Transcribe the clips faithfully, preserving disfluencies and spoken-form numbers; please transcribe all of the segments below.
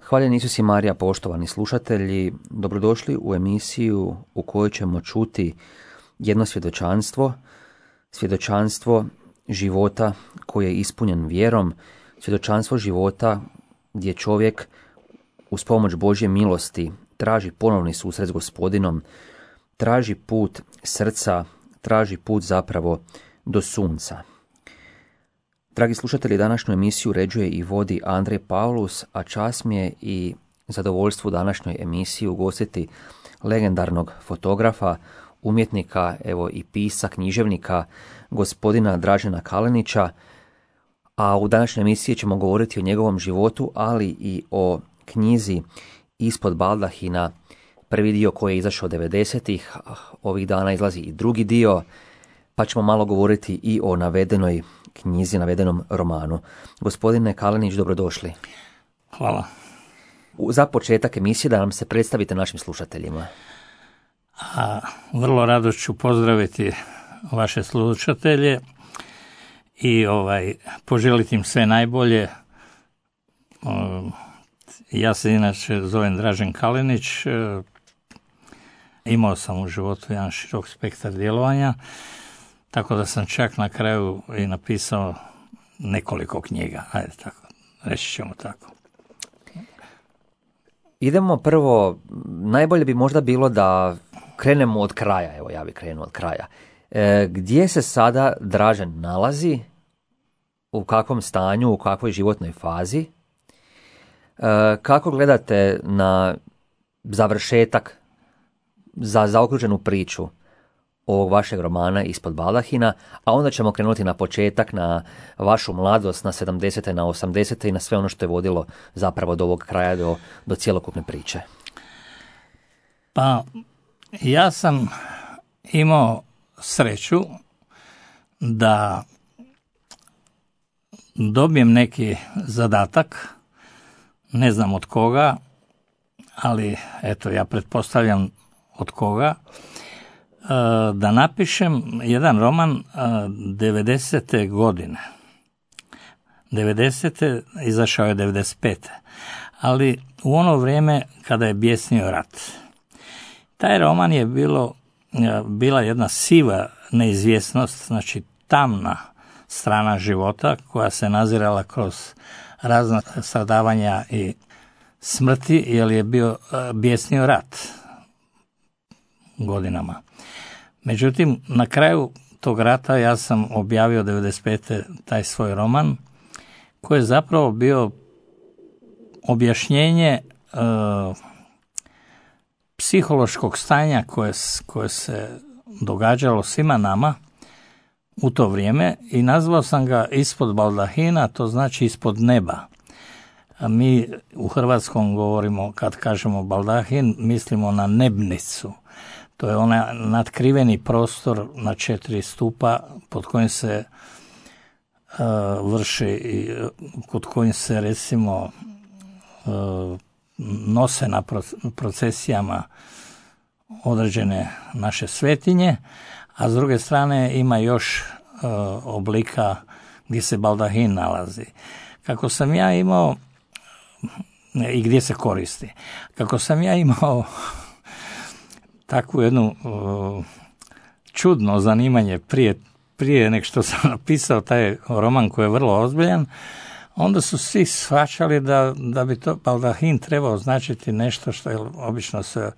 Hvaljen Isus i Marija, poštovani slušatelji, dobrodošli u emisiju u kojoj ćemo čuti jedno svjedočanstvo, svjedočanstvo života koji je ispunjen vjerom, svjedočanstvo života gdje čovjek uz pomoć Božje milosti traži ponovni susret s Gospodinom, traži put srca, traži put zapravo do sunca. Dragi slušatelji, današnju emisiju uređuje i vodi Andrej Pavlus, a čast mi je i zadovoljstvo u današnjoj emisiji ugostiti legendarnog fotografa, umjetnika, evo i pisa, književnika, gospodina Dražena Kalenića, a u današnjoj emisiji ćemo govoriti o njegovom životu, ali i o knjizi Ispod baldahina, prvi dio koji je izašao devedesetih, ovih dana izlazi i drugi dio, pa ćemo malo govoriti i o navedenoj knjizi, navedenom romanu. Gospodine Kalenić, dobrodošli. Hvala. Za početak emisije da nam se predstavite našim slušateljima. A, vrlo rado ću pozdraviti vaše slušatelje i ovaj poželiti im sve najbolje. O, ja se inače zovem Dražen Kalenić. Imao sam u životu jedan širok spektar djelovanja, tako da sam čak na kraju i napisao nekoliko knjiga. Ajde tako, reći ćemo tako. Idemo prvo, najbolje bi možda bilo da krenemo od kraja, evo ja bih krenuo od kraja. E, gdje se sada Dražen nalazi, u kakvom stanju, u kakvoj životnoj fazi, e, kako gledate na završetak, za zaokruženu priču ovog vašeg romana Ispod baldahina, a onda ćemo krenuti na početak, na vašu mladost, na sedamdesete, na osamdesete i na sve ono što je vodilo zapravo do ovog kraja, do, do cjelokupne priče. Pa, ja sam imao sreću da dobijem neki zadatak, ne znam od koga, ali eto, ja pretpostavljam od koga, da napišem jedan roman devedesete godine. devedesete izašao je devedeset pete ali u ono vrijeme kada je bjesnio rat. Taj roman je bilo, bila jedna siva neizvjesnost, znači tamna strana života koja se nazirala kroz razna stradavanja i smrti, jer je bio bjesnio rat godinama. Međutim, na kraju tog rata ja sam objavio devedeset pete taj svoj roman, koji je zapravo bio objašnjenje e, psihološkog stanja koje, koje se događalo svima nama u to vrijeme i nazvao sam ga Ispod baldahina, to znači ispod neba. A mi u hrvatskom govorimo, kad kažemo baldahin, mislimo na nebnicu. To je onaj natkriveni prostor na četiri stupa pod kojim se uh, vrši i kod kojim se recimo uh, nose na procesijama određene naše svetinje, a s druge strane ima još uh, oblika gdje se baldahin nalazi. Kako sam ja imao i gdje se koristi. Kako sam ja imao takvu jednu uh, čudno zanimanje prije, prije nek što sam napisao taj roman koji je vrlo ozbiljan, onda su svi shvaćali da, da bi to baldahin trebao značiti nešto što je obično se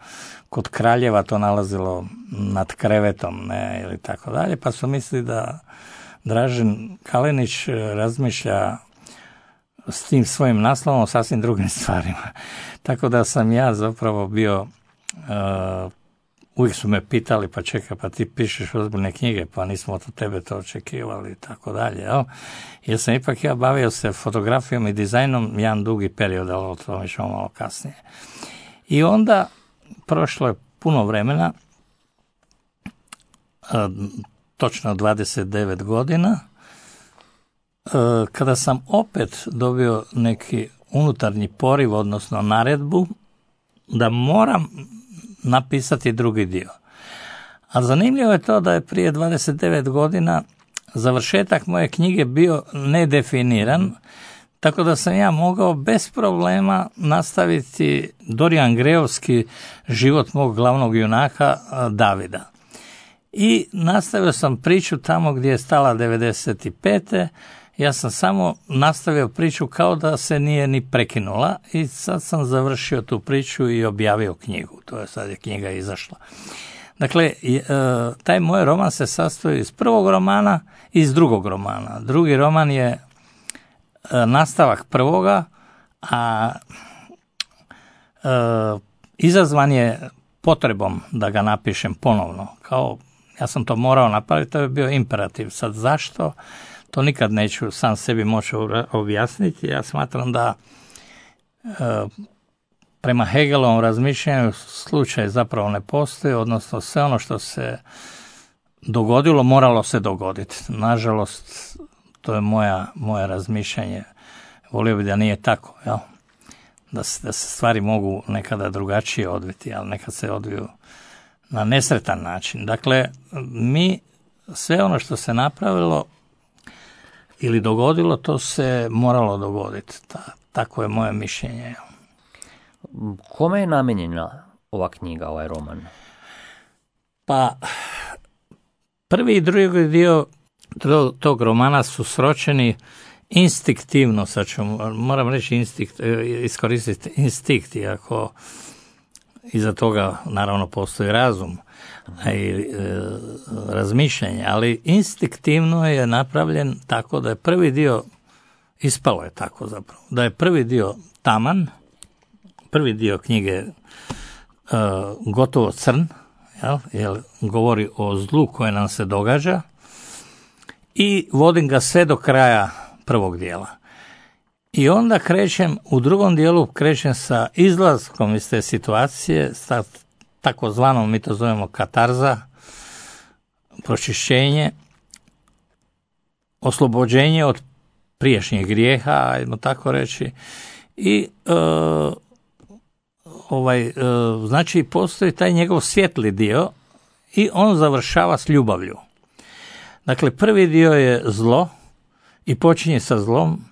kod kraljeva to nalazilo nad krevetom, ne, ili tako dalje, pa su mislili da Dražen Kalenić razmišlja s tim svojim naslovom o sasvim drugim stvarima. Tako da sam ja zapravo bio uh, uvijek su me pitali, pa čekaj, pa ti pišeš ozbiljne knjige, pa nismo od tebe to očekivali i tako dalje. Jel? Jer sam ipak ja bavio se fotografijom i dizajnom jedan dugi period, ali o tome ćemo malo kasnije. I onda prošlo je puno vremena, točno dvadeset devet godina, kada sam opet dobio neki unutarnji poriv, odnosno naredbu, da moram napisati drugi dio. A zanimljivo je to da je prije dvadeset devet godina završetak moje knjige bio nedefiniran, Tako da sam ja mogao bez problema nastaviti Dorijan Grejovski život mog glavnog junaka Davida. I nastavio sam priču tamo gdje je stala devedeset pete. Ja sam samo nastavio priču kao da se nije ni prekinula i sad sam završio tu priču i objavio knjigu. To je sad je knjiga izašla. Dakle, taj moj roman se sastoji iz prvog romana i iz drugog romana. Drugi roman je nastavak prvoga, a e, izazvan je potrebom da ga napišem ponovno. Kao, ja sam to morao napraviti, to je bio imperativ. Sad zašto? To nikad neću sam sebi moći objasniti. Ja smatram da e, prema Hegelovom razmišljanju slučaj zapravo ne postoji, odnosno sve ono što se dogodilo moralo se dogoditi. Nažalost, to je moja, moje razmišljanje. Volio bi da nije tako, jel? Da, se, da se stvari mogu nekada drugačije odviti, ali nekad se odviju na nesretan način. Dakle, mi sve ono što se napravilo ili dogodilo, to se moralo dogoditi. Ta, tako je moje mišljenje. Kome je namijenjena ova knjiga, ovaj roman? Pa, prvi i drugi dio tog romana su sročeni instinktivno, sad ću, moram reći instinkt, iskoristiti instinkt, iako iza toga naravno postoji razum i e, razmišljanje, ali instinktivno je napravljen tako da je prvi dio, ispalo je tako zapravo, da je prvi dio taman, prvi dio knjige e, gotovo crn, jel, jer govori o zlu koje nam se događa, i vodim ga sve do kraja prvog dijela. I onda krećem, u drugom dijelu krećem sa izlaskom iz te situacije, sa takozvanom, mi to zovemo katarza, pročišćenje, oslobođenje od prijašnjih grijeha, ajmo tako reći, i e, ovaj, e, znači postoji taj njegov svjetli dio i on završava s ljubavlju. Dakle, prvi dio je zlo i počinje sa zlom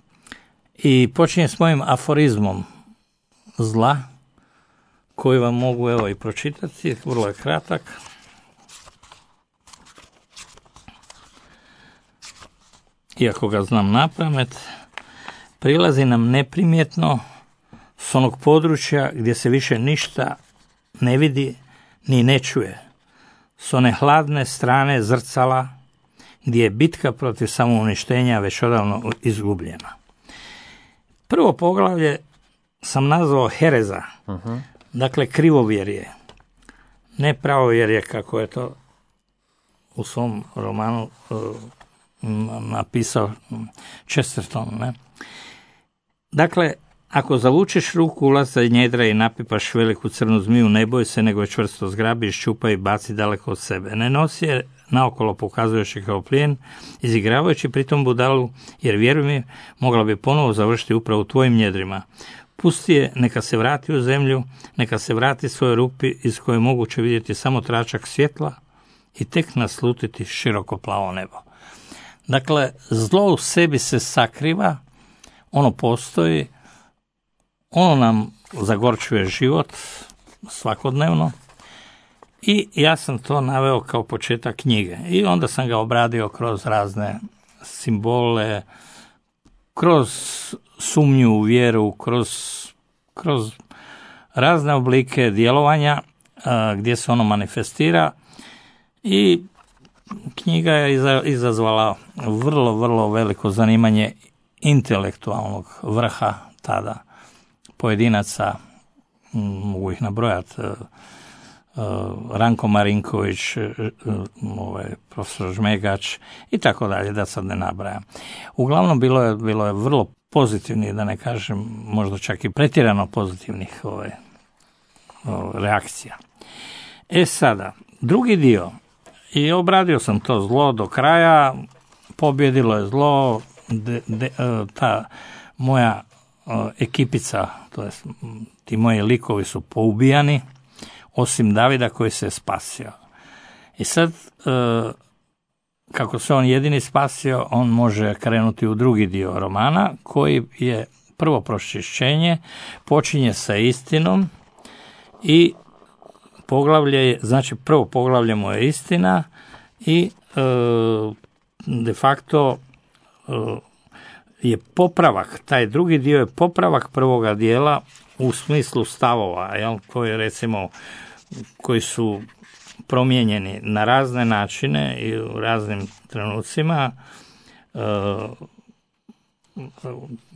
i počinje s mojim aforizmom zla, koji vam mogu evo i pročitati, vrlo je kratak. Iako ga znam napamet, prilazi nam neprimjetno s onog područja gdje se više ništa ne vidi ni ne čuje, s one hladne strane zrcala, gdje je bitka protiv samouništenja već odavno izgubljena. Prvo poglavlje sam nazvao hereza, uh-huh. Dakle krivovjerje, ne pravovjerje kako je to u svom romanu uh, napisao Chesterton. Ne? Dakle, ako zavučeš ruku, ulaza i njedra i napipaš veliku crnu zmiju, ne boj se, nego je čvrsto zgrabi, ščupa i baci daleko od sebe. Ne nosi je naokolo pokazujući kao plijen, izigravajući pritom budalu, jer vjeruj mi, mogla bi ponovo završiti upravo u tvojim njedrima. Pusti je, neka se vrati u zemlju, neka se vrati svojoj rupi iz koje je moguće vidjeti samo tračak svjetla i tek naslutiti široko plavo nebo. Dakle, zlo u sebi se sakriva, ono postoji, ono nam zagorčuje život svakodnevno i ja sam to naveo kao početak knjige. I onda sam ga obradio kroz razne simbole, kroz sumnju u vjeru, kroz, kroz razne oblike djelovanja a, gdje se ono manifestira i knjiga je izazvala vrlo, vrlo veliko zanimanje intelektualnog vrha tada pojedinaca, mogu ih nabrojati, Ranko Marinković, ovaj, profesor Žmegač i tako dalje, da sad ne nabrajam. Uglavnom bilo je, bilo je vrlo pozitivnih, da ne kažem možda čak i pretjerano pozitivnih ovaj, ovaj, reakcija. E sada, drugi dio, i obradio sam to zlo do kraja, pobjedilo je zlo, de, de, ta moja ekipica, to jest ti moji likovi su poubijani, osim Davida koji se spasio. I sad kako se on jedini spasio, on može krenuti u drugi dio romana, koji je prvo pročišćenje, počinje sa istinom i poglavlje je, znači prvo poglavlje mu je istina i e, de facto e, je popravak, taj drugi dio je popravak prvoga dijela u smislu stavova, jel, koji recimo, koji su promijenjeni na razne načine i u raznim trenucima, e,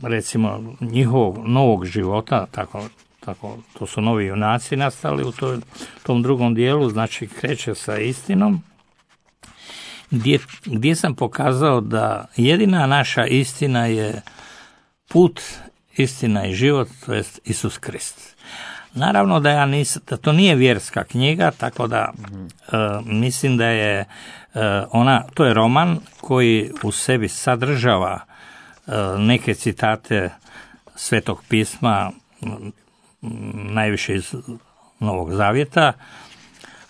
recimo njihovog novog života, tako, tako, to su novi junaci nastali u toj, tom drugom dijelu, znači kreće sa istinom, gdje, gdje sam pokazao da jedina naša istina je put, istina i život, to jest Isus Krist. Naravno da ja nisam, da to nije vjerska knjiga, tako da mm-hmm. uh, mislim da je uh, ona, to je roman koji u sebi sadržava uh, neke citate Svetog pisma, m, najviše iz Novog Zavjeta,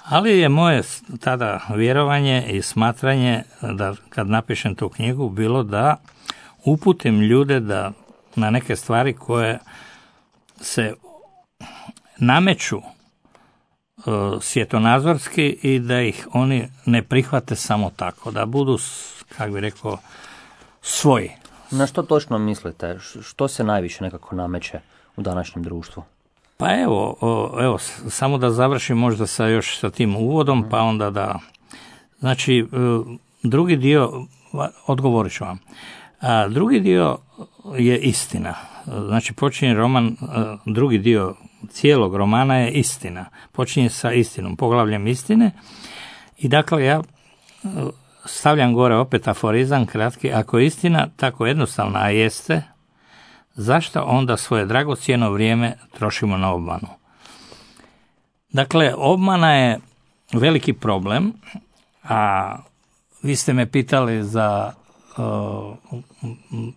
ali je moje tada vjerovanje i smatranje da kad napišem tu knjigu bilo da uputim ljude da na neke stvari koje se nameću uh, svjetonazorski i da ih oni ne prihvate samo tako, da budu, kako bi rekao, svoji. Na što točno mislite? Što se najviše nekako nameće u današnjem društvu? Pa evo, evo, samo da završim možda sa još sa tim uvodom, pa onda da... Znači, drugi dio, odgovorit ću vam, a drugi dio je istina. Znači, počinje roman, drugi dio cijelog romana je istina. Počinje sa istinom, poglavljem istine. I dakle, ja stavljam gore opet aforizam kratki, ako je istina tako jednostavna, a jeste, zašto onda svoje dragocjeno vrijeme trošimo na obmanu? Dakle, obmana je veliki problem, a vi ste me pitali za uh,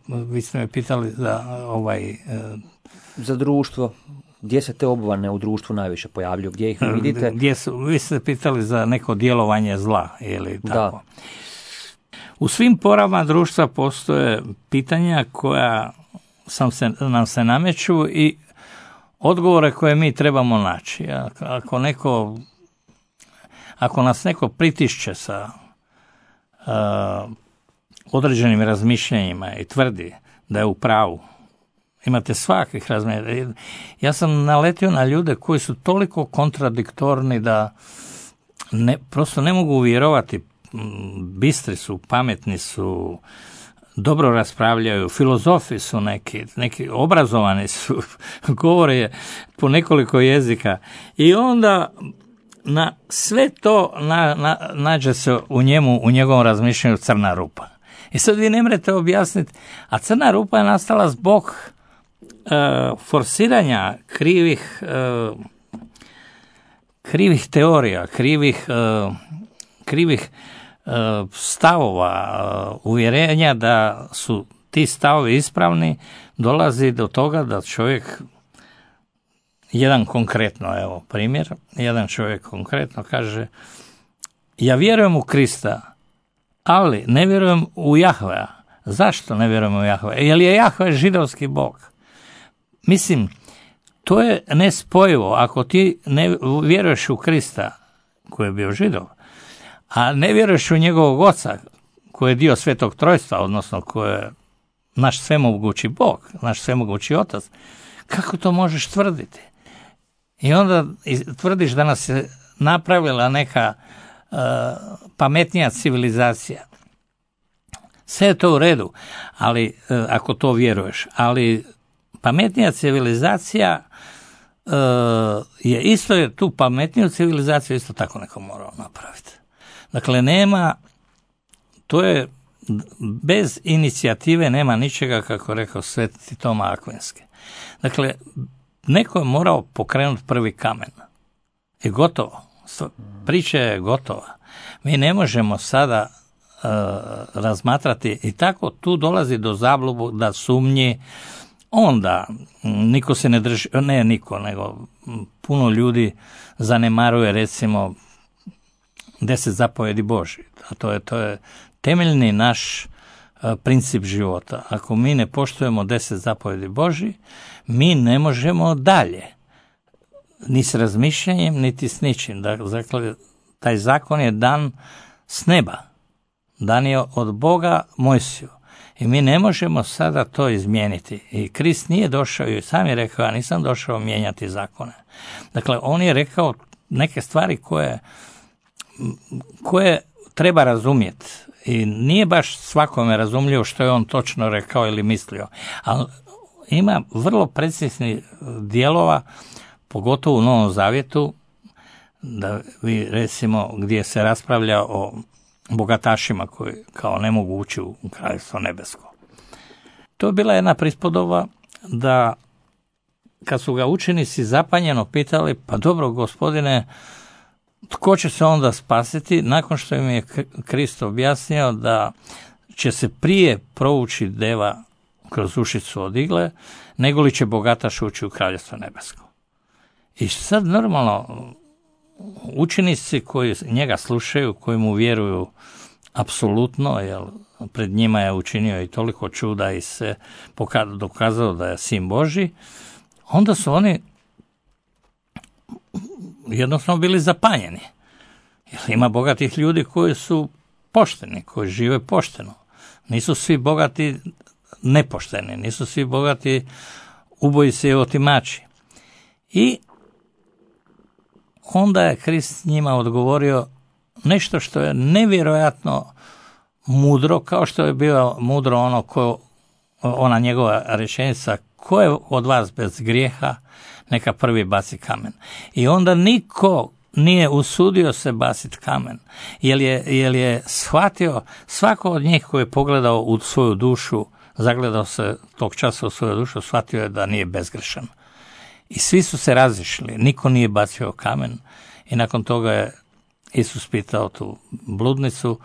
vi ste me pitali za ovaj uh, za društvo. Gdje se te obmane u društvu najviše pojavljuju? Gdje ih vidite? Gdje su, vi ste pitali za neko djelovanje zla, ili tako. Da. U svim porama društva postoje pitanja koja sam se, nam se nameću i odgovore koje mi trebamo naći. Ako neko, ako nas neko pritišće sa uh, određenim razmišljanjima i tvrdi da je u pravu, imate svakih razmišljanja. Ja sam naletio na ljude koji su toliko kontradiktorni da ne, prosto ne mogu vjerovati. Bistri su, pametni su, dobro raspravljaju, filozofi su neki, neki obrazovani su, govore po nekoliko jezika i onda na sve to na, na, nađe se u njemu, u njegovom razmišljanju crna rupa. I sad vi ne možete objasniti, a crna rupa je nastala zbog uh, forsiranja krivih uh, krivih teorija, krivih uh, krivih stavova, uvjerenja da su ti stavovi ispravni, dolazi do toga da čovjek, jedan konkretno, evo primjer, jedan čovjek konkretno kaže, ja vjerujem u Krista, ali ne vjerujem u Jahvea. Zašto ne vjerujem u Jahvea? Jer je Jahve židovski bog. Mislim, to je nespojivo. Ako ti ne vjeruješ u Krista, koji je bio židov, a ne vjeruješ u njegovog oca, koji je dio Svetog Trojstva, odnosno koji je naš svemogući Bog, naš svemogući Otac, kako to možeš tvrditi? I onda tvrdiš da nas je napravila neka uh, pametnija civilizacija. Sve je to u redu, ali uh, ako to vjeruješ, ali pametnija civilizacija uh, je isto, jer tu pametniju civilizaciju isto tako neko morao napraviti. Dakle, nema, to je, bez inicijative nema ničega, kako rekao Sveti Toma Akvinski. Dakle, neko je morao pokrenuti prvi kamen. I gotovo. Priča je gotova. Mi ne možemo sada uh, razmatrati i tako tu dolazi do zabluda, sumnji. Onda niko se ne drži, ne niko, nego puno ljudi zanemaruje recimo deset zapovjedi Božji. A to je, to je, temeljni naš princip života. Ako mi ne poštujemo deset zapovjedi Božji, mi ne možemo dalje. Ni s razmišljanjem, niti s ničim. Dakle, taj zakon je dan s neba. Dan je od Boga Mojsiju. I mi ne možemo sada to izmijeniti. I Krist nije došao, i sam je rekao, ja nisam došao mijenjati zakone. Dakle, on je rekao neke stvari koje, koje treba razumjeti. I nije baš svakome razumljivo što je on točno rekao ili mislio. Ali ima vrlo preciznih dijelova, pogotovo u Novom Zavjetu, da vi recimo gdje se raspravlja o bogatašima koji kao ne mogu ući u Kraljevstvo nebesko. To je bila jedna prispodoba da kad su ga učenici zapanjeno pitali, pa dobro gospodine, tko će se onda spasiti, nakon što im je Krist objasnio da će se prije provući deva kroz ušicu od igle, nego li će bogataš ući u Kraljevstvo nebesko. I sad normalno učenici koji njega slušaju, koji mu vjeruju apsolutno, jer pred njima je učinio i toliko čuda i se dokazao da je sin Božji, onda su oni jednostavno bili zapanjeni. Jer ima bogatih ljudi koji su pošteni, koji žive pošteno. Nisu svi bogati nepošteni, nisu svi bogati ubojice i otimači. I onda je Krist njima odgovorio nešto što je nevjerojatno mudro, kao što je bio mudro ono ko, ona njegova rečenica, ko je od vas bez grijeha, neka prvi baci kamen. I onda niko nije usudio se baciti kamen, jer je, jer je shvatio, svako od njih koji je pogledao u svoju dušu, zagledao se tog časa u svoju dušu, shvatio je da nije bezgrešan. I svi su se razišli, niko nije bacio kamen i nakon toga je Isus pitao tu bludnicu,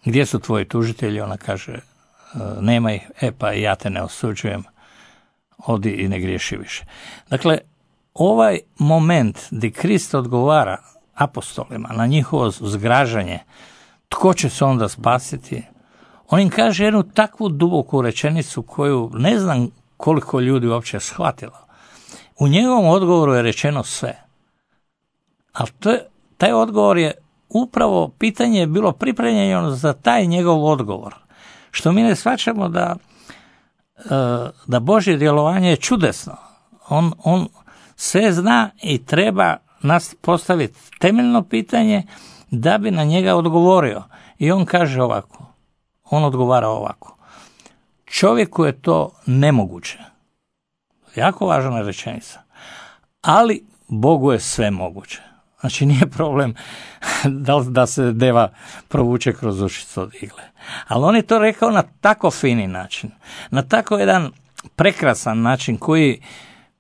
gdje su tvoji tužitelji? Ona kaže, nema ih, e pa ja te ne osuđujem, odi i ne griješi više. Dakle, ovaj moment gdje Krist odgovara apostolima na njihovo zgražanje, tko će se onda spasiti, on im kaže jednu takvu duboku rečenicu koju ne znam koliko ljudi uopće shvatilo. U njegovom odgovoru je rečeno sve. Ali to je, taj odgovor je upravo, pitanje je bilo pripremljeno za taj njegov odgovor. Što mi ne shvaćamo da, da Božje djelovanje je čudesno. On, on sve zna i treba nas postaviti temeljno pitanje da bi na njega odgovorio. I on kaže ovako, on odgovara ovako. Čovjeku je to nemoguće. Jako važna rečenica. Ali Bogu je sve moguće. Znači nije problem da, da se deva provuče kroz ušicu od igle. Ali on je to rekao na tako fini način, na tako jedan prekrasan način koji,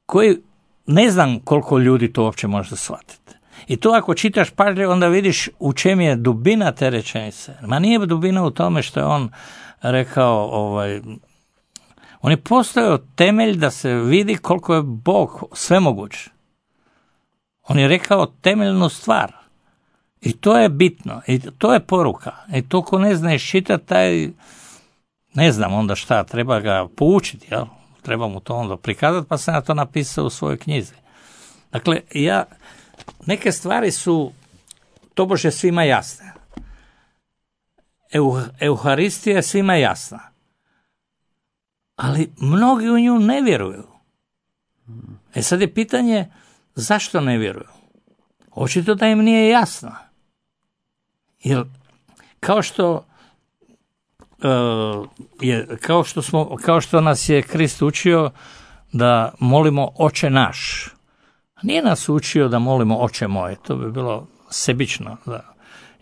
koji ne znam koliko ljudi to uopće može shvatiti. I to ako čitaš pažljivo, onda vidiš u čem je dubina te rečenice. Ma nije dubina u tome što je on rekao, ovaj, on je postavio temelj da se vidi koliko je Bog svemoguć. On je rekao temeljnu stvar. I to je bitno. I to je poruka. I to ko ne zna iščitati, taj, ne znam onda šta, treba ga poučiti, jel? Treba mu to onda prikazati, pa sam ja to napisao u svojoj knjizi. Dakle, ja, neke stvari su tobože svima jasne. Euharistija je svima jasna. Ali mnogi u nju ne vjeruju. E sad je pitanje, zašto ne vjeruju? Očito da im nije jasno. Jer kao što uh, je, kao što smo, kao što nas je Krist učio da molimo Oče naš. Nije nas učio da molimo Oče moj, to bi bilo sebično. Da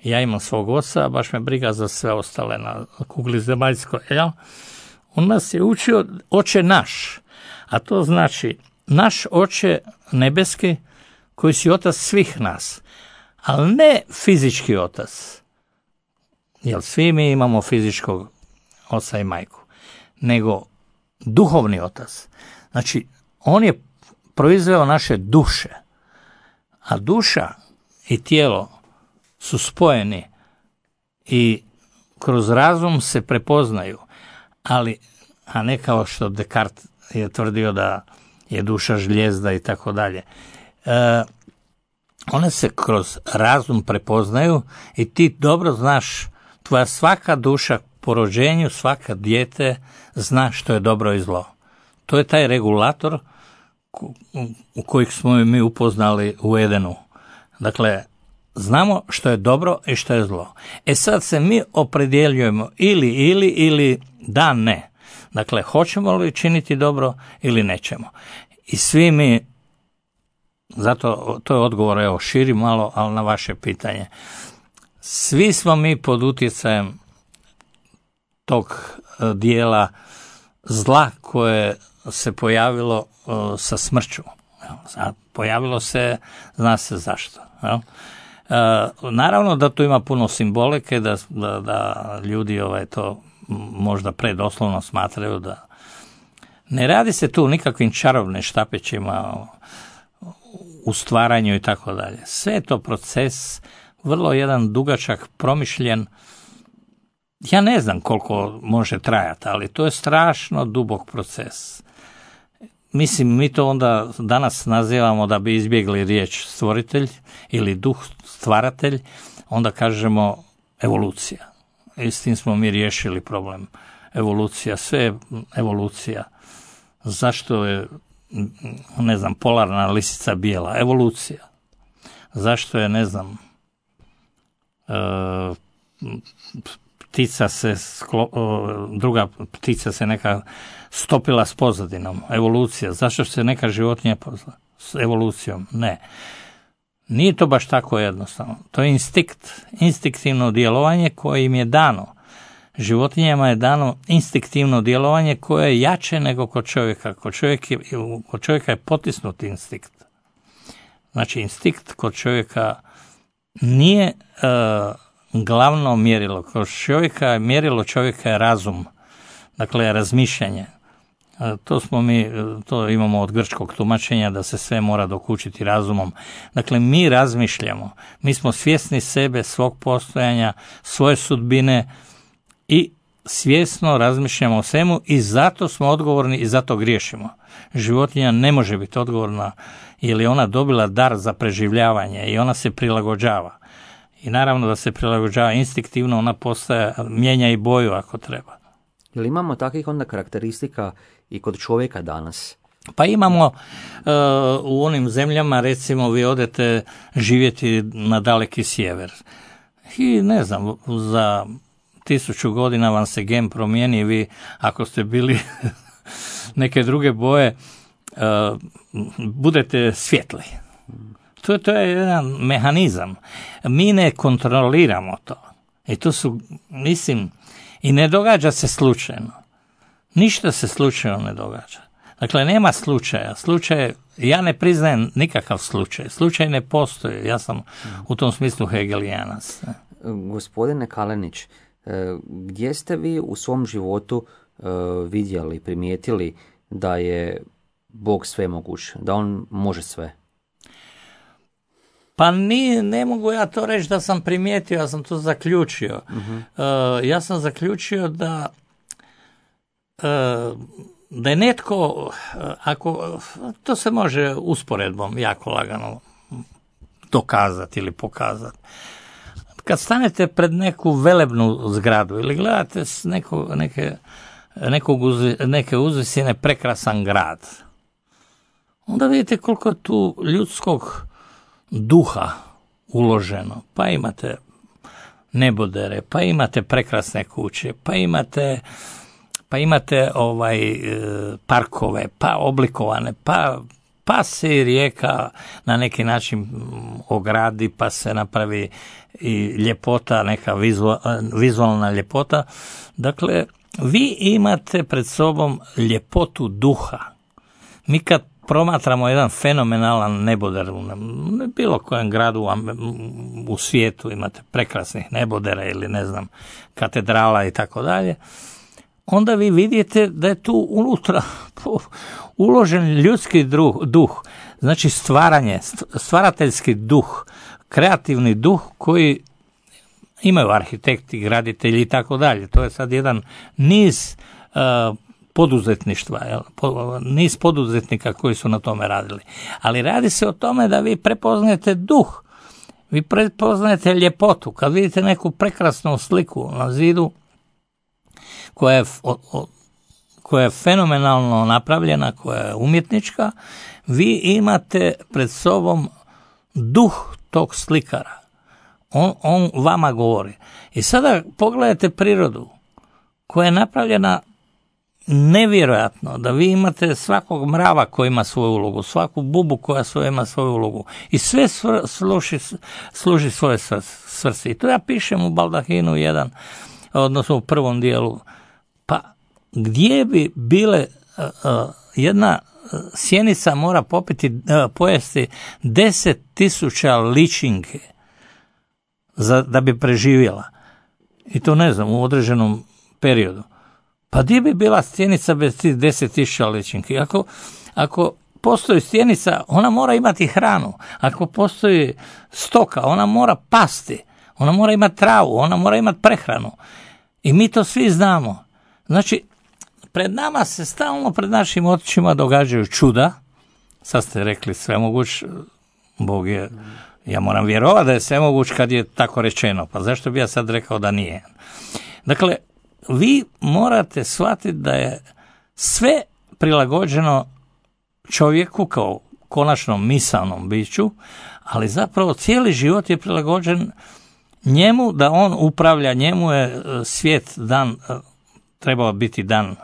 ja imam svog oca, baš me briga za sve ostale na kugli zemaljskoj. Ja? On nas je učio Oče naš, a to znači naš Oče nebeski, koji si otac svih nas, ali ne fizički otac, jer svi mi imamo fizičkog oca i majku, nego duhovni otac. Znači, on je proizveo naše duše, a duša i tijelo su spojeni i kroz razum se prepoznaju, ali, a ne kao što Descartes je tvrdio da je duša žlijezda i tako dalje. One se kroz razum prepoznaju i ti dobro znaš, tvoja svaka duša po rođenju, svaka dijete zna što je dobro i zlo. To je taj regulator u kojeg smo mi upoznali u Edenu. Dakle, znamo što je dobro i što je zlo. E sad se mi opredjeljujemo ili, ili, ili da, ne. Dakle, hoćemo li činiti dobro ili nećemo. I svi mi, zato to je odgovor, evo, širi malo, ali na vaše pitanje. Svi smo mi pod utjecajem tog dijela zla koje se pojavilo uh, sa smrću. Pojavilo se, zna se zašto. Jel? Uh, naravno da tu ima puno simbolike, da, da, da ljudi ovaj, to možda predoslovno smatraju da ne radi se tu nikakvim čarobnim štapićima u stvaranju i tako dalje. Sve je to proces, vrlo jedan dugačak, promišljen. Ja ne znam koliko može trajati, ali to je strašno dubok proces. Mislim, mi to onda danas nazivamo, da bi izbjegli riječ stvoritelj ili duh stvaratelj, onda kažemo evolucija. I s tim smo mi riješili problem. Evolucija, sve je evolucija. Zašto je, ne znam, polarna lisica bijela? Evolucija. Zašto je, ne znam, e, ptica se, sklo, druga ptica se neka stopila s pozadinom? Evolucija. Zašto se neka životinja pozla s evolucijom? Ne. Nije to baš tako jednostavno. To je instinkt, instinktivno djelovanje koje im je dano. Životinjama je dano instinktivno djelovanje koje je jače nego kod čovjeka. Kod čovjeka je, kod čovjeka je potisnut instinkt. Znači, instinkt kod čovjeka nije e, glavno mjerilo. Kod čovjeka, mjerilo čovjeka je razum. Dakle, razmišljanje. To smo mi, to imamo od grčkog tumačenja da se sve mora dokučiti razumom. Dakle, mi razmišljamo, mi smo svjesni sebe, svog postojanja, svoje sudbine i svjesno razmišljamo o svemu i zato smo odgovorni i zato griješimo. Životinja ne može biti odgovorna jer je ona dobila dar za preživljavanje i ona se prilagođava. I naravno da se prilagođava instinktivno, ona postaje, mijenja i boju ako treba. Jel imamo takvih onda karakteristika i kod čovjeka danas? Pa imamo uh, u onim zemljama, recimo vi odete živjeti na daleki sjever i ne znam, za tisuću godina vam se gen promijeni, vi ako ste bili neke druge boje, uh, budete svjetli. To, to je jedan mehanizam. Mi ne kontroliramo to. I to su, mislim, i ne događa se slučajno. Ništa se slučajno ne događa. Dakle, nema slučaja. Slučaj, ja ne priznajem nikakav slučaj. Slučaj ne postoji. Ja sam u tom smislu hegelijanac. Gospodine Kalenić, gdje ste vi u svom životu vidjeli, primijetili da je Bog svemoguć, da on može sve? Pa ni, ne mogu ja to reći da sam primijetio, ja sam to zaključio. Uh-huh. Uh, ja sam zaključio da uh, da je netko, uh, ako to se može usporedbom jako lagano dokazati ili pokazati. Kad stanete pred neku velebnu zgradu ili gledate s neko, neke, nekog uz, neke uzvisine prekrasan grad, onda vidite koliko je tu ljudskog duha uloženo. Pa imate nebodere, pa imate prekrasne kuće, pa imate pa imate ovaj parkove, pa oblikovane, pa pa se i rijeka na neki način ogradi, pa se napravi i ljepota, neka vizualna ljepota. Dakle, vi imate pred sobom ljepotu duha. Mi kad promatramo jedan fenomenalan neboder u bilo kojem gradu u svijetu, imate prekrasnih nebodera ili ne znam, katedrala i tako dalje, onda vi vidite da je tu unutra uložen ljudski duh, znači stvaranje, stvarateljski duh, kreativni duh koji imaju arhitekti, graditelji i tako dalje. To je sad jedan niz uh, poduzetništva, jel? Po, niz poduzetnika koji su na tome radili. Ali radi se o tome da vi prepoznajete duh, vi prepoznajete ljepotu. Kad vidite neku prekrasnu sliku na zidu koja je, o, o, koja je fenomenalno napravljena, koja je umjetnička, vi imate pred sobom duh tog slikara. On, on vama govori. I sada pogledajte prirodu koja je napravljena nevjerojatno, da vi imate svakog mrava koji ima svoju ulogu, svaku bubu koja svoja ima svoju ulogu i sve svr, služi, služi svoje svrsi. I to ja pišem u Baldahinu jedan, odnosno u prvom dijelu. Pa gdje bi bile uh, uh, jedna sjenica mora popiti, uh, pojesti deset tisuća ličinke za, da bi preživjela. I to ne znam, u određenom periodu. Pa gdje bi bila stjenica bez tih deset tisuća ličinki? Ako, ako postoji stjenica, ona mora imati hranu. Ako postoji stoka, ona mora pasti. Ona mora imati travu, ona mora imati prehranu. I mi to svi znamo. Znači, pred nama se stalno, pred našim očima događaju čuda. Sad ste rekli svemoguć, Bog je, ja moram vjerovati da je svemoguć kad je tako rečeno. Pa zašto bi ja sad rekao da nije? Dakle, vi morate shvatiti da je sve prilagođeno čovjeku kao konačnom misalnom biću, ali zapravo cijeli život je prilagođen njemu, da on upravlja, njemu je svijet dan, trebao biti dan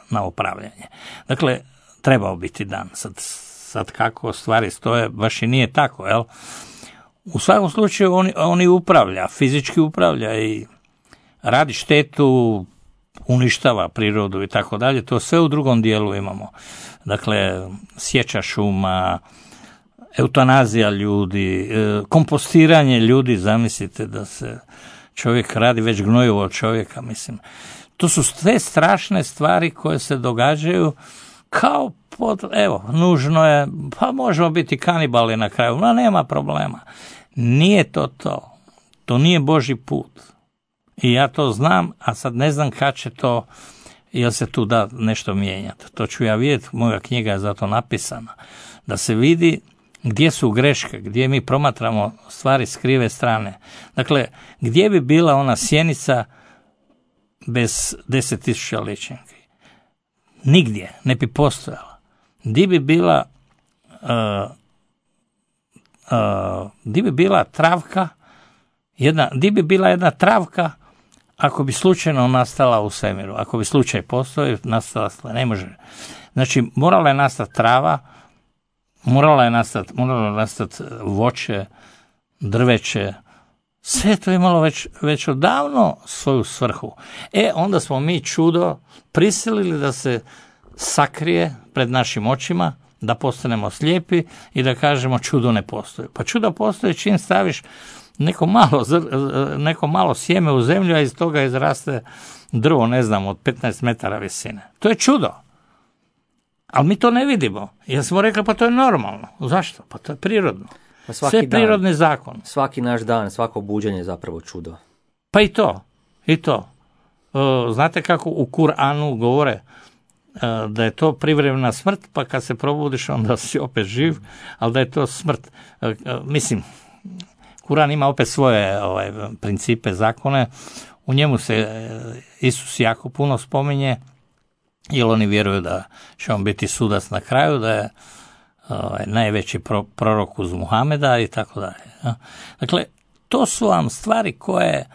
na upravljanje. Dakle, trebao biti dan. Sad, sad kako stvari stoje, baš i nije tako, jel? U svakom slučaju on, on i upravlja, fizički upravlja i radi štetu, uništava prirodu i tako dalje, to sve u drugom dijelu imamo. Dakle, sječa šuma, eutanazija ljudi, kompostiranje ljudi, zamislite da se čovjek radi već gnojivo od čovjeka, mislim. To su sve strašne stvari koje se događaju kao pod, evo, nužno je, pa možemo biti kanibali na kraju, no nema problema. Nije to to. To nije Božji put. I ja to znam, a sad ne znam kad će to, jel se tu da nešto mijenjati. To ću ja vidjeti, moja knjiga je zato napisana. Da se vidi gdje su greške, gdje mi promatramo stvari s krive strane. Dakle, gdje bi bila ona sjenica bez deset tisuća ličinki? Nigdje, ne bi postojala. Gdje bi bila, uh, uh, gdje bi bila travka, jedna, gdje bi bila jedna travka ako bi slučajno nastala u svemiru, ako bi slučaj postoji, nastala, ne može. Znači, morala je nastati trava, morala je nastati, morala je nastati voće, drveće, sve to je imalo već, već odavno svoju svrhu. E, onda smo mi čudo prisilili da se sakrije pred našim očima, da postanemo slijepi i da kažemo čudo ne postoji. Pa čudo postoji čim staviš neko malo, neko malo sjeme u zemlju, a iz toga izraste drvo, ne znam, od petnaest metara visine. To je čudo. Ali mi to ne vidimo. Jer smo rekli, pa to je normalno. Zašto? Pa to je prirodno. Pa svaki sve je prirodni dan, zakon. Svaki naš dan, svako buđenje je zapravo čudo. Pa i to. I to. Znate kako u Kur'anu govore da je to privremena smrt, pa kad se probudiš onda si opet živ, ali da je to smrt. Mislim, Kur'an ima opet svoje ovaj, principe, zakone. U njemu se Isus jako puno spominje, jer oni vjeruju da će on biti sudac na kraju, da je ovaj, najveći pro, prorok uz Muhameda i tako dalje. Dakle, to su vam stvari koje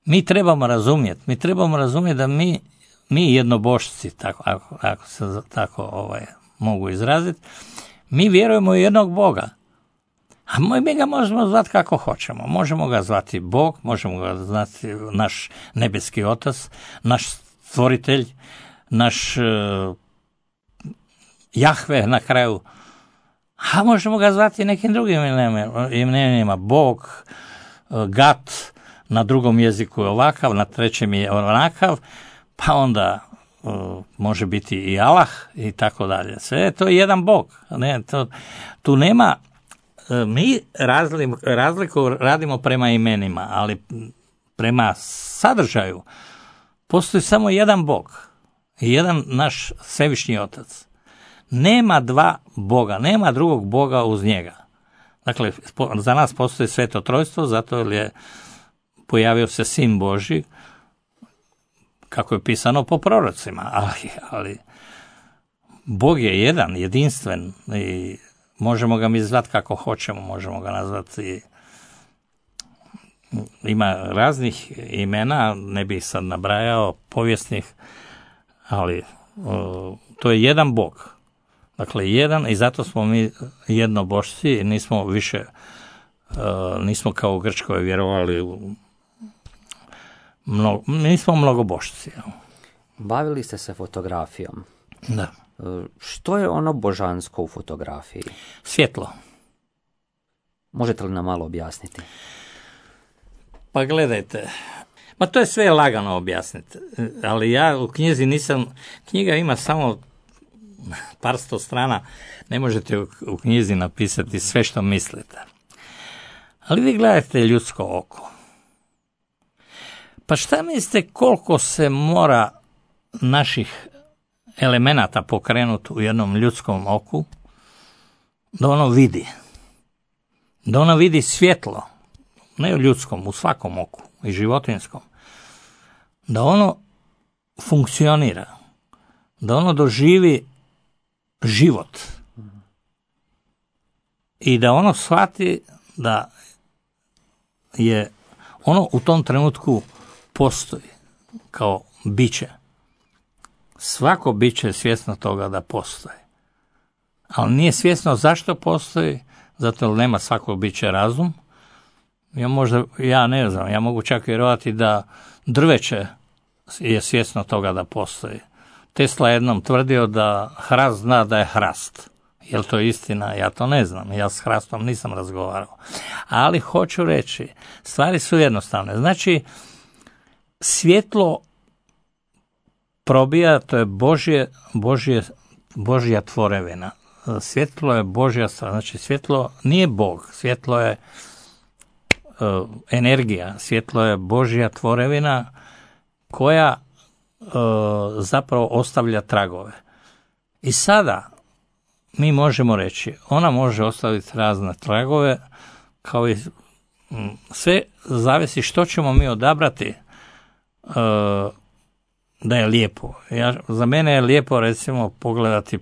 mi trebamo razumjeti. Mi trebamo razumjeti da mi, mi jednobošci, tako, ako, ako se tako ovaj, mogu izraziti, mi vjerujemo u jednog Boga. A mi ga možemo zvati kako hoćemo. Možemo ga zvati Bog, možemo ga zvati naš nebeski otac, naš stvoritelj, naš uh, Jahve na kraju. A možemo ga zvati nekim drugim imenima. Bog, uh, Gat, na drugom jeziku je ovakav, na trećem je onakav, pa onda uh, može biti i Allah i tako dalje. Sve to je jedan Bog. Ne, to, tu nema... Mi razliku radimo prema imenima, ali prema sadržaju postoji samo jedan Bog i jedan naš svevišnji Otac. Nema dva Boga, nema drugog Boga uz njega. Dakle, za nas postoji Sveto Trojstvo, zato jer je pojavio se Sin Božji, kako je pisano po prorocima, ali, ali Bog je jedan, jedinstven i možemo ga mi zvati kako hoćemo, možemo ga nazvati, ima raznih imena, ne bih sad nabrajao, povijesnih, ali o, to je jedan Bog. Dakle, jedan, i zato smo mi jednobošci, nismo više, o, nismo kao u Grčkoj vjerovali u Mnogo, mi smo mnogobošci. Bavili ste se fotografijom. Da. Što je ono božansko u fotografiji? Svjetlo. Možete li nam malo objasniti? Pa gledajte, ma to je sve lagano objasniti, ali ja u knjizi nisam, knjiga ima samo par sto strana, ne možete u, u knjizi napisati sve što mislite. Ali vi gledajte ljudsko oko. Pa šta mislite koliko se mora naših elemenata pokrenuti u jednom ljudskom oku da ono vidi? Da ono vidi svjetlo, ne u ljudskom, u svakom oku, i životinjskom. Da ono funkcionira, da ono doživi život i da ono shvati da je ono u tom trenutku postoji kao biće. Svako biće je svjesno toga da postoji. Ali nije svjesno zašto postoji, zato jer nema svako biće razum. Ja možda, ja ne znam, ja mogu čak vjerovati da drveće je svjesno toga da postoji. Tesla jednom tvrdio da hrast zna da je hrast. Je li to istina? Ja to ne znam. Ja s hrastom nisam razgovarao. Ali hoću reći, stvari su jednostavne. Znači, svjetlo probija, to je Božje, Božje, Božja tvorevina. Svjetlo je Božja stvar. Znači, svjetlo nije Bog. Svjetlo je uh, energija. Svjetlo je Božja tvorevina koja uh, zapravo ostavlja tragove. I sada mi možemo reći, ona može ostaviti razne tragove, kao i sve zavisi što ćemo mi odabrati uh, da je lijepo. Ja, za mene je lijepo recimo pogledati,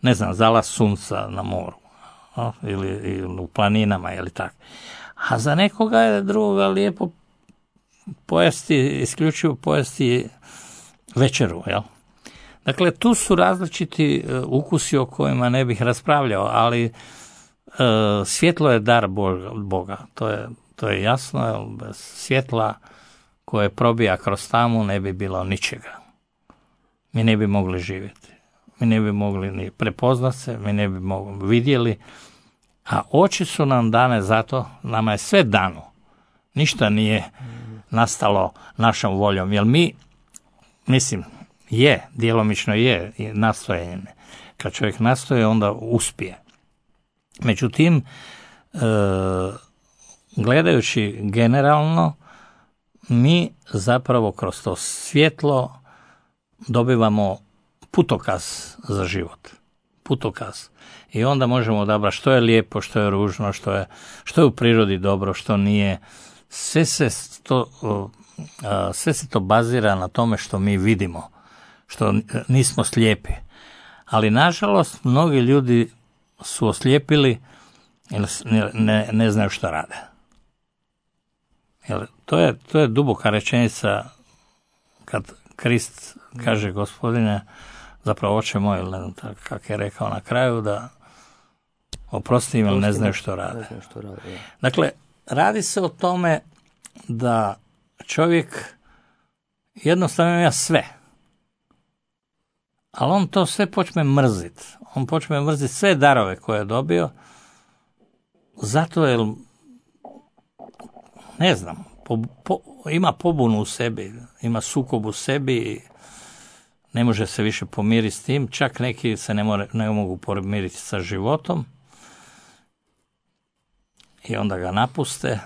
ne znam, zalaz sunca na moru, a, ili, ili u planinama ili tako. A za nekoga je drugoga lijepo pojesti, isključivo pojesti večeru, jel? Dakle, tu su različiti uh, ukusi o kojima ne bih raspravljao, ali uh, svjetlo je dar Boga, Boga. To je, to je jasno, jer bez svjetla koje probija kroz tamu ne bi bilo ničega. Mi ne bi mogli živjeti. Mi ne bi mogli ni prepoznat se, mi ne bi mogli vidjeli, a oči su nam dane zato, nama je sve dano. Ništa nije nastalo našom voljom, jer mi, mislim, je, djelomično je nastojenje. Kad čovjek nastoje, onda uspije. Međutim, e, gledajući generalno, mi zapravo kroz to svjetlo dobivamo putokaz za život. Putokaz. I onda možemo odabrati što je lijepo, što je ružno, što je, što je u prirodi dobro, što nije. Sve se to, sve se to bazira na tome što mi vidimo, što nismo slijepi. Ali nažalost mnogi ljudi su oslijepili ili ne, ne, ne znaju što rade. Jer to je, to je duboka rečenica kad Krist kaže, Gospodine, zapravo oče moj, ili ne znam kako je rekao na kraju, da oprosti im, ili ne znaju što rade. Dakle, radi se o tome da čovjek jednostavno ima sve. Ali on to sve počne mrziti. On počne mrziti sve darove koje je dobio, zato jer, ne znam, po, po, ima pobunu u sebi, ima sukob u sebi, ne može se više pomiriti s tim, čak neki se ne, more, ne mogu pomiriti sa životom i onda ga napuste.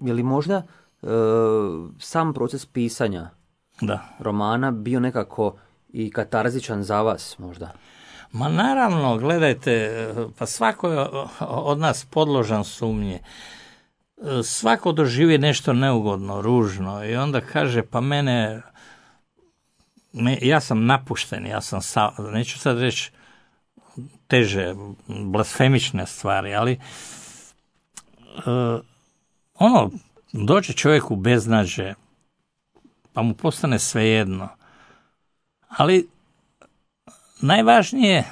je li možda e, sam proces pisanja da. romana bio nekako i katarzičan za vas možda? Ma naravno, gledajte, pa svako je od nas podložan sumnji. Svako doživi nešto neugodno, ružno i onda kaže pa mene, me, ja sam napušten, ja sam, sa, neću sad reći teže, blasfemične stvari, ali uh, ono, dođe čovjek u beznađe, pa mu postane svejedno. Ali najvažnije je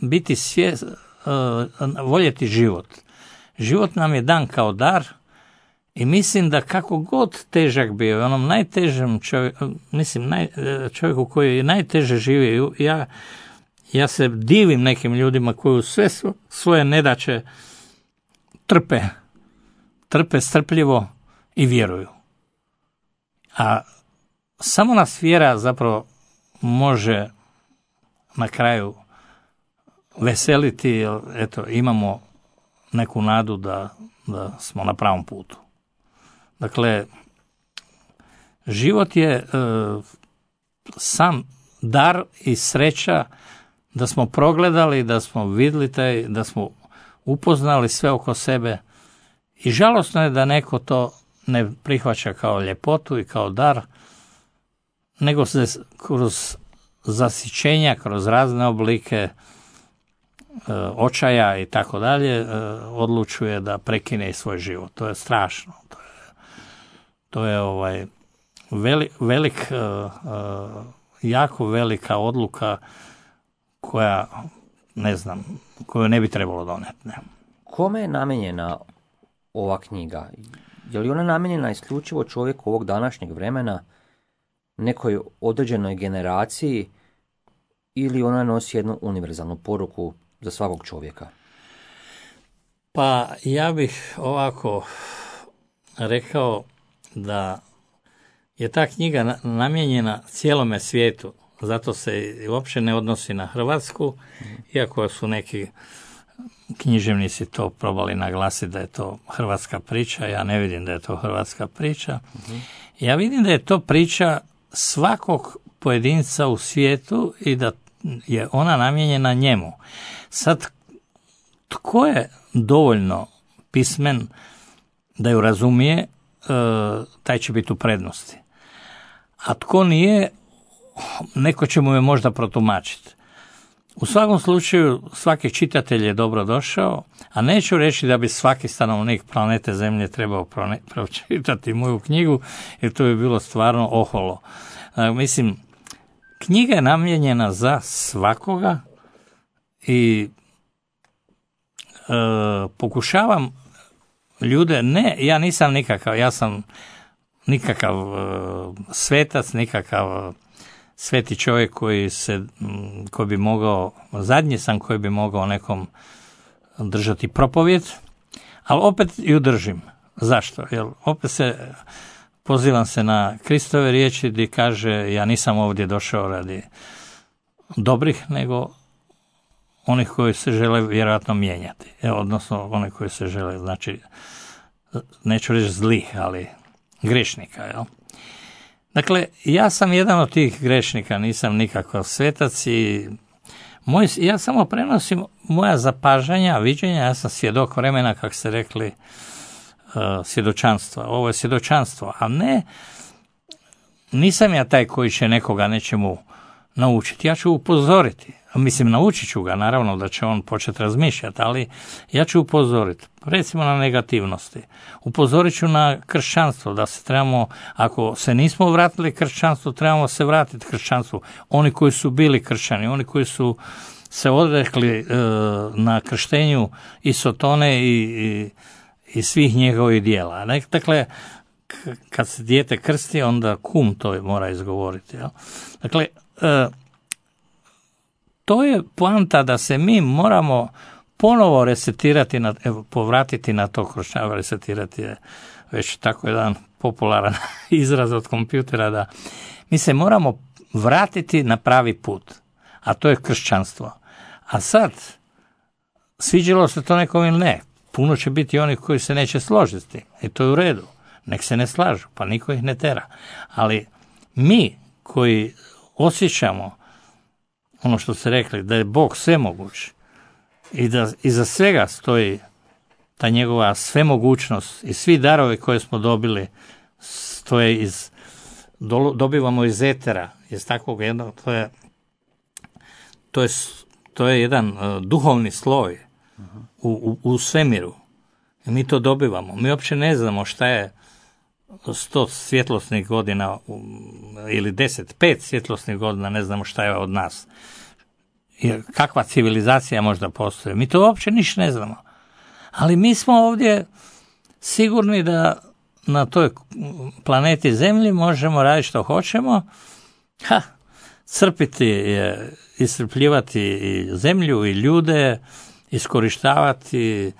biti svijest, uh, voljeti život. Život nam je dan kao dar i mislim da kako god težak bio, onom najtežem čovjeku, mislim, naj, čovjeku koji je najteže živi, ja, ja se divim nekim ljudima koji sve svoje nedaće trpe, trpe strpljivo i vjeruju. A samo nas vjera zapravo može na kraju veseliti, jer eto, imamo neku nadu da, da smo na pravom putu. Dakle, život je e, sam dar i sreća da smo progledali, da smo vidjeli taj, da smo upoznali sve oko sebe i žalosno je da neko to ne prihvaća kao ljepotu i kao dar, nego se kroz zasićenja, kroz razne oblike očaja i tako dalje odlučuje da prekine svoj život. To je strašno. To je, to je ovaj velik, velik jako velika odluka koja, ne znam, koju ne bi trebalo donijeti. Ne. Kome je namijenjena ova knjiga? Je li ona namijenjena isključivo čovjeku ovog današnjeg vremena, nekoj određenoj generaciji, ili ona nosi jednu univerzalnu poruku za svakog čovjeka? Pa ja bih ovako rekao da je ta knjiga namijenjena cijelome svijetu, zato se uopće ne odnosi na Hrvatsku, iako su neki književnici to probali naglasiti da je to hrvatska priča, ja ne vidim da je to hrvatska priča. Ja vidim da je to priča svakog pojedinca u svijetu i da je ona namijenjena njemu. Sad, tko je dovoljno pismen da ju razumije, taj će biti u prednosti. A tko nije, neko će mu je možda protumačiti. U svakom slučaju, svaki čitatelj je dobro došao, a neću reći da bi svaki stanovnik planete Zemlje trebao pročitati moju knjigu, jer to bi bilo stvarno oholo. Mislim, knjiga je namijenjena za svakoga i e, pokušavam ljude, ne, ja nisam nikakav, ja sam nikakav e, svetac, nikakav sveti čovjek koji se, koji bi mogao, zadnji sam koji bi mogao nekom držati propovjed, ali opet ju držim. Zašto? Jer opet se pozivam se na Kristove riječi gdje kaže ja nisam ovdje došao radi dobrih, nego onih koji se žele vjerojatno mijenjati. Evo, odnosno onih koji se žele, znači, neću reći zlih, ali grešnika. Jel? Dakle, ja sam jedan od tih grešnika, nisam nikakav svetac i moj, ja samo prenosim moja zapažanja, viđenja, ja sam svjedok vremena, kako ste rekli, svjedočanstva. Ovo je svjedočanstvo, a ne, nisam ja taj koji će nekoga nečemu naučiti. Ja ću upozoriti. Mislim, naučit ću ga, naravno da će on početi razmišljati, ali ja ću upozoriti. Recimo na negativnosti. Upozorit ću na kršćanstvo, da se trebamo, ako se nismo vratili kršćanstvu, trebamo se vratiti kršćanstvu. Oni koji su bili kršćani, oni koji su se odrekli e, na krštenju i Sotone i, i i svih njegovih dijela. Dakle, kad se dijete krsti, onda kum to mora izgovoriti. Jel? Dakle, e, to je poanta da se mi moramo ponovo resetirati, na, evo, povratiti na to kršćanstvo. Resetirati je već tako jedan popularan izraz od kompjutera, da mi se moramo vratiti na pravi put, a to je kršćanstvo. A sad, sviđalo se to nekom ili ne, puno će biti onih koji se neće složiti i to je u redu. Nek se ne slažu, pa niko ih ne tera. Ali mi koji osjećamo ono što ste rekli, da je Bog svemoguć i da iza svega stoji ta njegova svemogućnost i svi darovi koje smo dobili stoje iz, dobivamo iz etera, iz takvog jednog, to je, to je, to je jedan uh, duhovni sloj u, u, u svemiru. I mi to dobivamo. Mi uopće ne znamo šta je sto svjetlosnih godina ili deset, pet svjetlosnih godina, ne znamo šta je od nas. Jer kakva civilizacija možda postoji. Mi to uopće ništa ne znamo. Ali mi smo ovdje sigurni da na toj planeti Zemlji možemo raditi što hoćemo. Ha, crpiti je, iscrpljivati i zemlju i ljude, iskorištavati,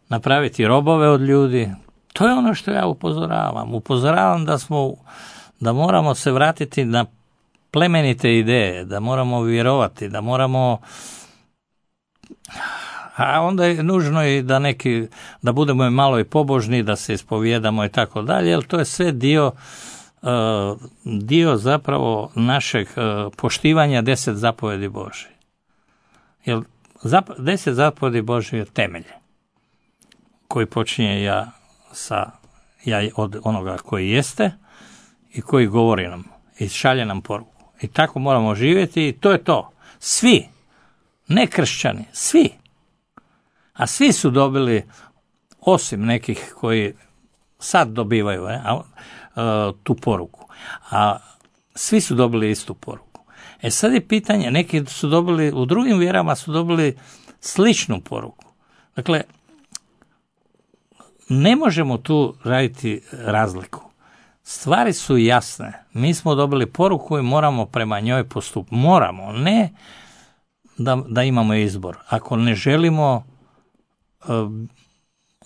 napraviti robove od ljudi. To je ono što ja upozoravam. Upozoravam da smo, da moramo se vratiti na plemenite ideje, da moramo vjerovati, da moramo, a onda je nužno i da neki, da budemo malo i pobožni, da se ispovijedamo i tako dalje, jer to je sve dio, dio zapravo našeg poštivanja deset zapovjedi Božje. Jer deset zapovjedi Božje je temelj koji počinje ja sa ja od onoga koji jeste i koji govori nam i šalje nam poruku. I tako moramo živjeti i to je to. Svi, ne kršćani, svi. A svi su dobili, osim nekih koji sad dobivaju ne, a, a, tu poruku. A svi su dobili istu poruku. E sad je pitanje, neki su dobili, u drugim vjerama su dobili sličnu poruku. Dakle, ne možemo tu raditi razliku. Stvari su jasne. Mi smo dobili poruku i moramo prema njoj postupiti. Moramo, ne da, da imamo izbor. Ako ne želimo uh,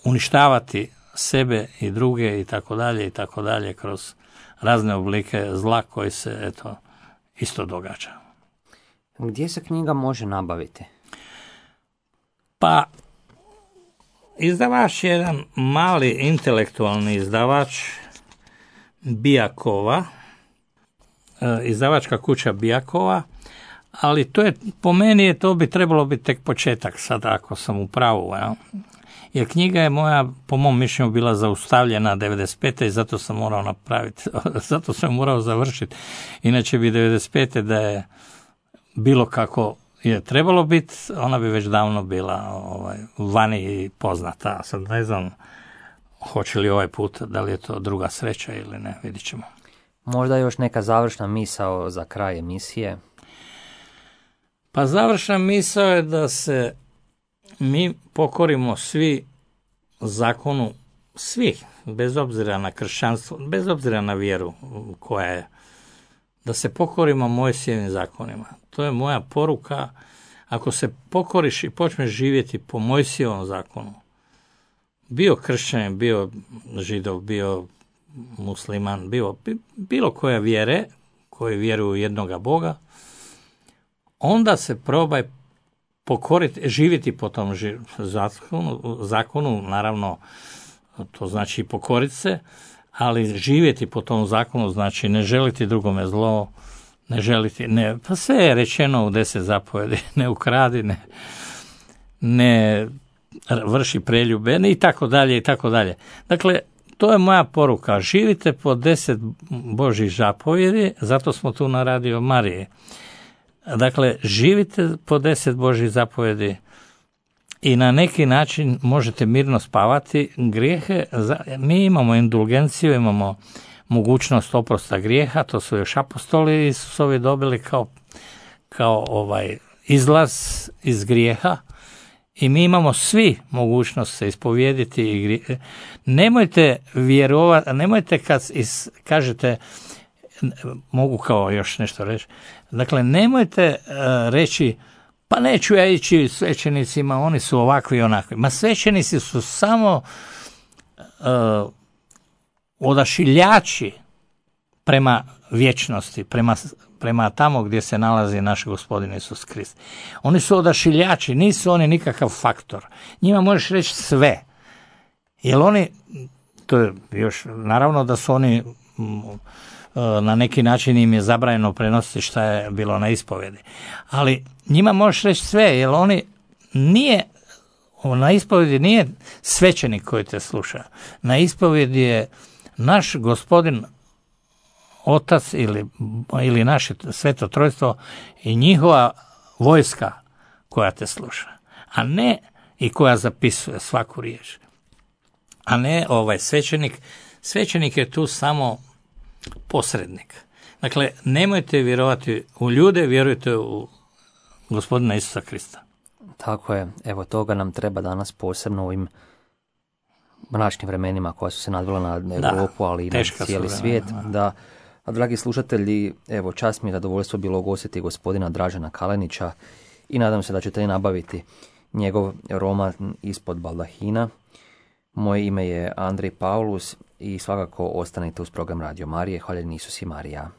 uništavati sebe i druge i tako dalje i tako dalje kroz razne oblike zla koji se eto isto događa. Gdje se knjiga može nabaviti? Pa izdavač je jedan mali intelektualni izdavač Bijakova, izdavačka kuća Bijakova, ali to je, po meni je to bi trebalo biti tek početak, sad ako sam u pravu, ja. Jer knjiga je moja, po mom mišljenju, bila zaustavljena devedeset pete i zato sam morao napraviti, zato sam morao završiti. Inače bi devedeset pete da je bilo kako je trebalo biti, ona bi već davno bila ovaj, vani i poznata. Sad ne znam hoće li ovaj put, da li je to druga sreća ili ne, vidit ćemo. Možda još neka završna misao za kraj emisije? Pa završna misao je da se mi pokorimo svi zakonu, svi, bez obzira na kršćanstvo, bez obzira na vjeru koja je, da se pokorimo Mojsijevim zakonima. To je moja poruka. Ako se pokoriš i počneš živjeti po Mojsijevom zakonu, bio kršćanin, bio židov, bio musliman, bio bilo koja vjere, koji vjeruju u jednoga Boga, onda se probaj pokoriti, živjeti po tom zakonu, zakonu, naravno, to znači pokoriti se, ali živjeti po tom zakonu znači ne želiti drugome zlo, ne želiti, ne, pa sve je rečeno u deset zapovjedi, ne ukradi, ne, ne vrši preljube, i tako dalje, i tako dalje. Dakle, to je moja poruka, živite po deset Božjih zapovjedi, zato smo tu na Radio Mariji. Dakle, živite po deset Božjih zapovjedi i na neki način možete mirno spavati. Grijehe, mi imamo indulgenciju, imamo mogućnost oprosta grijeha, to su još apostoli Isusovi dobili kao, kao ovaj izlaz iz grijeha i mi imamo svi mogućnost se ispovijediti i grijehe. Nemojte vjerovati, nemojte kad is, kažete, mogu kao još nešto reći, dakle nemojte uh, reći pa neću ja ići svećenicima, oni su ovakvi i onakvi. Ma svećenici su samo uh, odašiljači prema vječnosti, prema, prema tamo gdje se nalazi naš Gospodin Isus Krist. Oni su odašiljači, nisu oni nikakav faktor. Njima možeš reći sve. Jer oni, to je još, naravno da su oni, na neki način im je zabranjeno prenositi šta je bilo na ispovjedi. Ali njima možeš reći sve, jer oni nije, na ispovjedi nije svećenik koji te sluša. Na ispovjedi je naš Gospodin Otac ili, ili naše Sveto Trojstvo i njihova vojska koja te sluša, a ne i koja zapisuje svaku riječ. A ne ovaj svećenik. Svećenik je tu samo posrednik. Dakle, nemojte vjerovati u ljude, vjerujte u Gospodina Isusa Krista. Tako je. Evo, toga nam treba danas posebno u ovim mračnim vremenima koja su se nadvila na Europu, da, ali i na cijeli svijet. Da. A dragi slušatelji, evo, čast mi je zadovoljstvo bilo ugostiti gospodina Dražena Kalenića i nadam se da ćete i nabaviti njegov roman Ispod baldahina. Moje ime je Andrej Paulus i svakako ostanite uz program Radio Marije. Hvaljen Isus i Marija.